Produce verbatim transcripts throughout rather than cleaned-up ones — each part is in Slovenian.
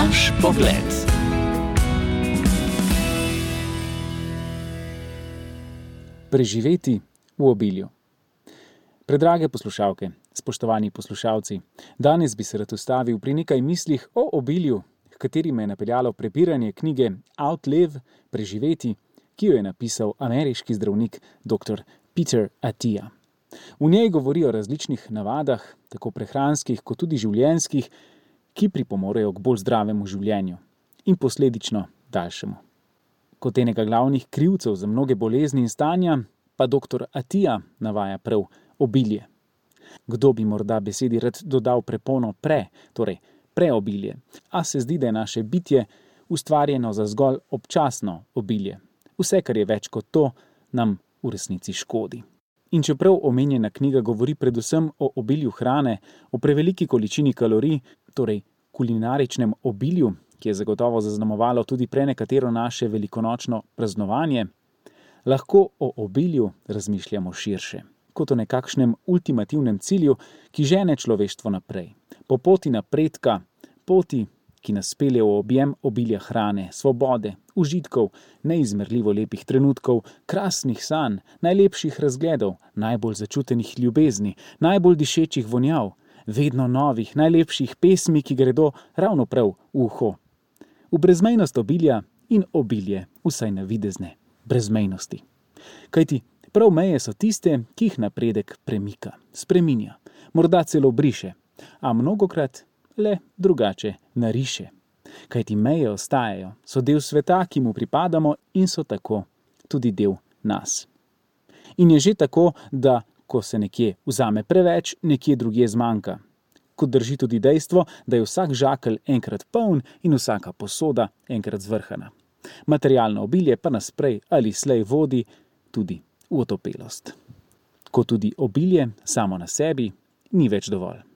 Naš pogled. Preživeti v obilju. Predrage poslušalke, spoštovani poslušalci, danes bi se rad ustavil pri nekaj mislih o obilju, h kateri me je napeljalo prebiranje knjige Outlive, Preživeti, ki jo je napisal ameriški zdravnik doktor Peter Attia. V njej govori o različnih navadah, tako prehranskih kot tudi življenjskih, ki pripomorejo k bolj zdravemu življenju in posledično daljšemu. Kot enega glavnih krivcev za mnoge bolezni in stanja pa doktor Attia navaja prav obilje. Kdo bi morda besedi rad dodal prepono pre, torej preobilje, a se zdi, da je naše bitje ustvarjeno za zgolj občasno obilje. Vse, kar je več kot to, nam v resnici škodi. In čeprav omenjena knjiga govori predvsem o obilju hrane, o preveliki količini kalorij, torej kulinaričnem obilju, ki je zagotovo zaznamovalo tudi prenekatero naše velikonočno praznovanje, lahko o obilju razmišljamo širše, kot o nekakšnem ultimativnem cilju, ki žene človeštvo naprej. Po poti napredka, poti, ki nas pelje v objem obilja hrane, svobode, užitkov, neizmerljivo lepih trenutkov, krasnih sanj, najlepših razgledov, najbolj začutenih ljubezni, najbolj dišečih vonjav, vedno novih, najlepših pesmi, ki gredo ravno prav v uho. V brezmejnost obilja in obilje, vsaj navidezne brezmejnosti. Kajti prav meje so tiste, ki jih napredek premika, spreminja, morda celo briše, a mnogokrat le drugače nariše. Kajti meje ostajajo, so del sveta, ki mu pripadamo in so tako tudi del nas. In je že tako, da ko se nekje vzame preveč, nekje drugje zmanjka. Kot drži tudi dejstvo, da je vsak žakelj enkrat poln in vsaka posoda enkrat zvrhana. Materialno obilje pa nas prej ali slej vodi tudi v otopelost. Ko tudi obilje samo na sebi ni več dovolj.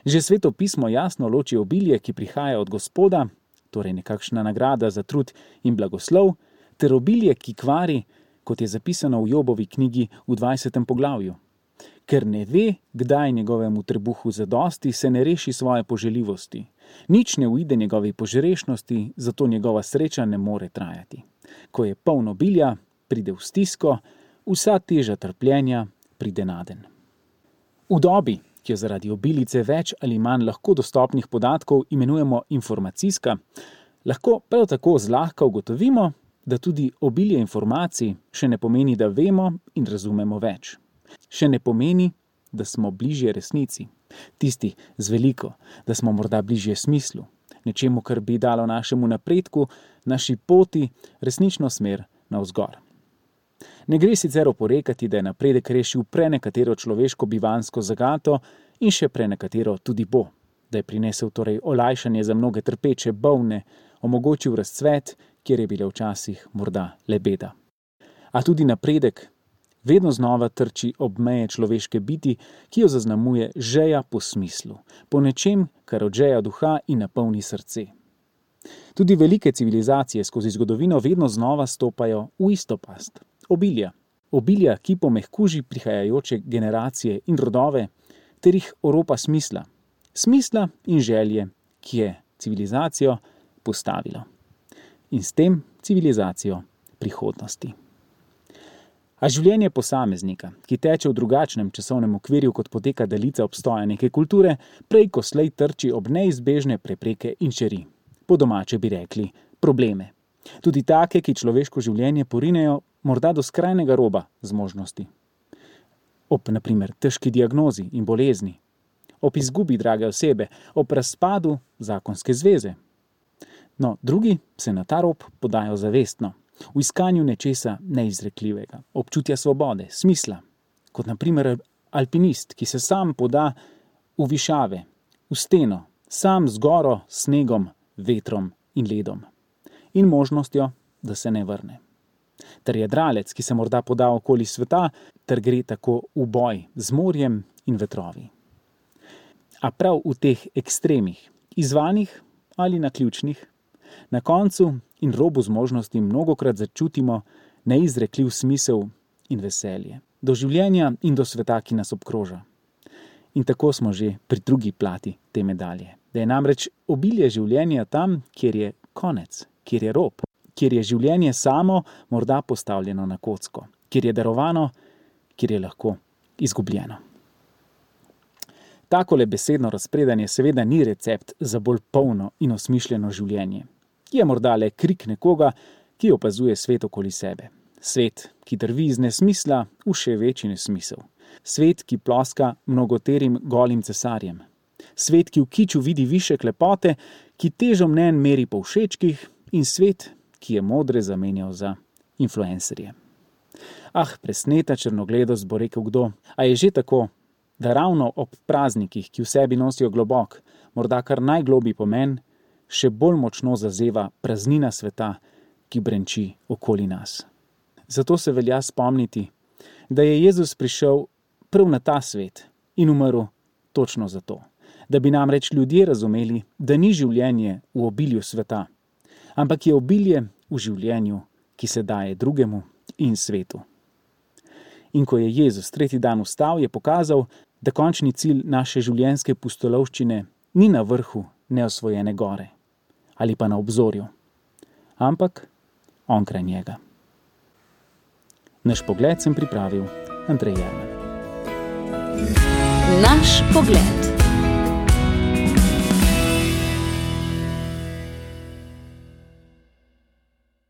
Že Sveto pismo jasno loči obilje, ki prihaja od Gospoda, torej nekakšna nagrada za trud in blagoslov, ter obilje, ki kvari, kot je zapisano v Jobovi knjigi v dvajsetem poglavju. Ker ne ve, kdaj njegovemu trebuhu zadosti, se ne reši svoje poželjivosti. Nič ne uide njegovi požrešnosti, zato njegova sreča ne more trajati. Ko je poln obilja, pride v stisko, vsa teža trpljenja pride naden. V dobi, ki jo zaradi obilice več ali manj lahko dostopnih podatkov imenujemo informacijska, lahko prav tako zlahka ugotovimo, da tudi obilje informacij še ne pomeni, da vemo in razumemo več. Še ne pomeni, da smo bližje resnici, tisti z veliko, da smo morda bližje smislu, nečemu, kar bi dalo našemu napredku, naši poti resnično smer navzgor. Ne gre sicer oporekati, da je napredek rešil prenekatero človeško bivanjsko zagato in še prenekatero tudi bo, da je prinesel torej olajšanje za mnoge trpeče, bolne, omogočil razcvet, kjer je bila včasih morda le beda. A tudi napredek vedno znova trči ob meje človeške biti, ki jo zaznamuje žeja po smislu, po nečem, kar odžeja duha in napolni srce. Tudi velike civilizacije skozi zgodovino vedno znova stopajo v isto past. Obilja. Obilja, ki pomehkuži prihajajoče generacije in rodove, ter jih oropa smisla. Smisla in želje, ki je civilizacijo postavilo. In s tem civilizacijo prihodnosti. A življenje posameznika, ki teče v drugačnem časovnem okvirju, kot poteka daljica obstoja neke kulture, prej ko slej trči ob neizbežne prepreke in čeri. Po domače bi rekli probleme. Tudi take, ki človeško življenje porinejo morda do skrajnega roba zmožnosti. Ob, na primer, težki diagnozi in bolezni, ob izgubi drage osebe, ob razpadu zakonske zveze. No, drugi se na ta rob podajo zavestno, v iskanju nečesa neizrekljivega, občutja svobode, smisla, kot na primer alpinist, ki se sam poda v višave, v steno, sam z goro, snegom, vetrom in ledom in možnostjo, da se ne vrne. Ter jadralec, ki se morda poda okoli sveta, ter gre tako v boj z morjem in vetrovi. A prav v teh ekstremih, izvanih ali naključnih, na koncu in robu zmožnosti mnogokrat začutimo neizrekljiv smisel in veselje do življenja in do sveta, ki nas obkroža. In tako smo že pri drugi plati te medalje. Da je namreč obilje življenja tam, kjer je konec, kjer je rob, kjer je življenje samo morda postavljeno na kocko, kjer je darovano, kjer je lahko izgubljeno. Takole besedno razpredanje seveda ni recept za bolj polno in osmišljeno življenje. Je morda le krik nekoga, ki opazuje svet okoli sebe. Svet, ki drvi iz nesmisla v še večji nesmisel. Svet, ki ploska mnogoterim golim cesarjem. Svet, ki v kiču vidi višek lepote, ki težo mnenj meri po všečkih, in svet, ki je modre zamenjal za influencerje. Ah, presneta črnogledost, bo rekel kdo, a je že tako, da ravno ob praznikih, ki v sebi nosijo globok, morda kar najgloblji pomen, še bolj močno zazeva praznina sveta, ki brenči okoli nas. Zato se velja spomniti, da je Jezus prišel prav na ta svet in umrl točno zato, da bi namreč ljudje razumeli, da ni življenje v obilju sveta, ampak je obilje v življenju, ki se daje drugemu in svetu. In ko je Jezus tretji dan vstal, je pokazal, da končni cilj naše življenjske pustolovščine ni na vrhu neosvojene gore ali pa na obzorju, ampak onkraj njega. Naš pogled sem pripravil Andrej Jerman. Naš pogled.